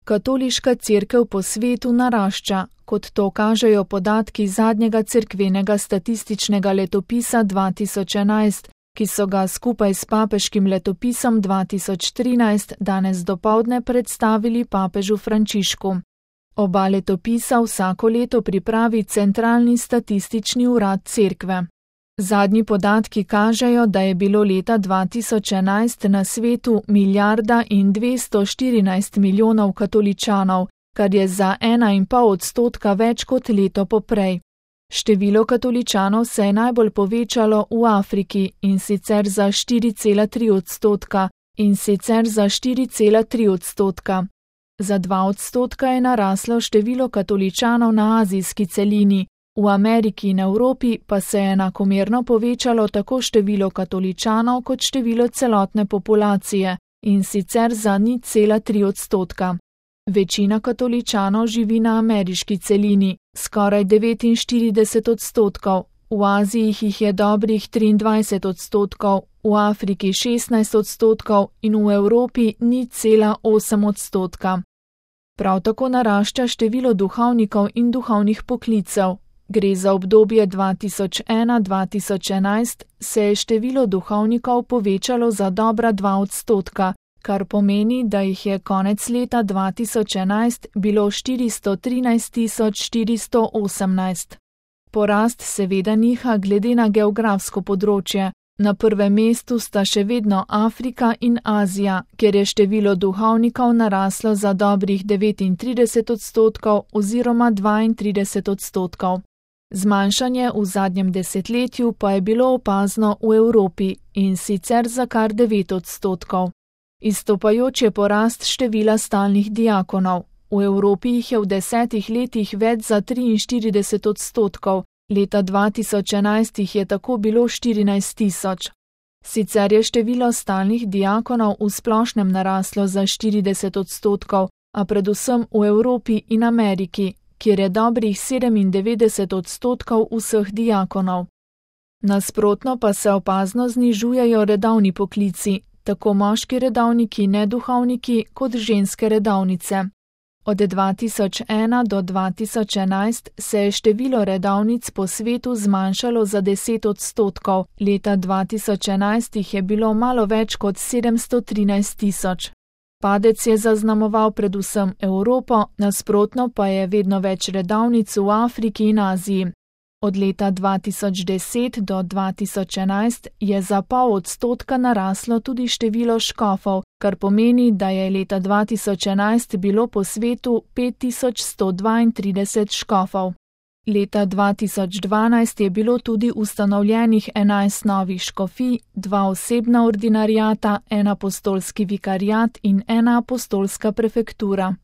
Katoliška cerkev po svetu narašča, kot to kažejo podatki zadnjega cerkvenega statističnega letopisa 2011, ki so ga skupaj s papeškim letopisom 2013 danes dopoldne predstavili papežu Frančišku. Oba letopisa vsako leto pripravi Centralni statistični urad cerkve. Zadnji podatki kažejo, da je bilo leta 2011 na svetu 1,214 milijonov katoličanov, kar je za 1,5% več kot leto poprej. Število katoličanov se je najbolj povečalo v Afriki, in sicer za 4,3%, Za 2% je naraslo število katoličanov na azijski celini, v Ameriki in Evropi pa se je enakomerno povečalo tako število katoličanov kot število celotne populacije, in sicer za 0,3%. Večina katoličanov živi na ameriški celini, skoraj 49%, v Aziji jih je dobrih 23%, v Afriki 16% in v Evropi 0,8%. Prav tako narašča število duhovnikov in duhovnih poklicev. Gre za obdobje 2001-2011, se je število duhovnikov povečalo za dobra 2%, kar pomeni, da jih je konec leta 2011 bilo 413.418. Porast seveda niha glede na geografsko področje. Na prvem mestu sta še vedno Afrika in Azija, kjer je število duhovnikov naraslo za dobrih 39% oziroma 32%. Zmanjšanje v zadnjem desetletju pa je bilo opazno v Evropi, in sicer za kar 9%. Izstopajoč je porast števila stalnih diakonov. V Evropi jih je v 10 letih več za 43%, leta 2011 jih je tako bilo 14.000. Sicer je število stalnih diakonov v splošnem naraslo za 40%, a predvsem v Evropi in Ameriki, kjer je dobrih 97% vseh diakonov. Nasprotno pa se opazno znižujejo redovni poklici, tako moški redovniki, neduhovniki kot ženske redovnice. Od 2001 do 2011 se je število redovnic po svetu zmanjšalo za 10%, leta 2011 jih je bilo malo več kot 713.000. Padec je zaznamoval predvsem Evropo, nasprotno pa je vedno več redovnic v Afriki in Aziji. Od leta 2010 do 2011 je za 0,5% naraslo tudi število škofov, kar pomeni, da je leta 2011 bilo po svetu 5132 škofov. Leta 2012 je bilo tudi ustanovljenih 11 novih škofij, 2 osebna ordinariata, 1 apostolski vikariat in 1 apostolska prefektura.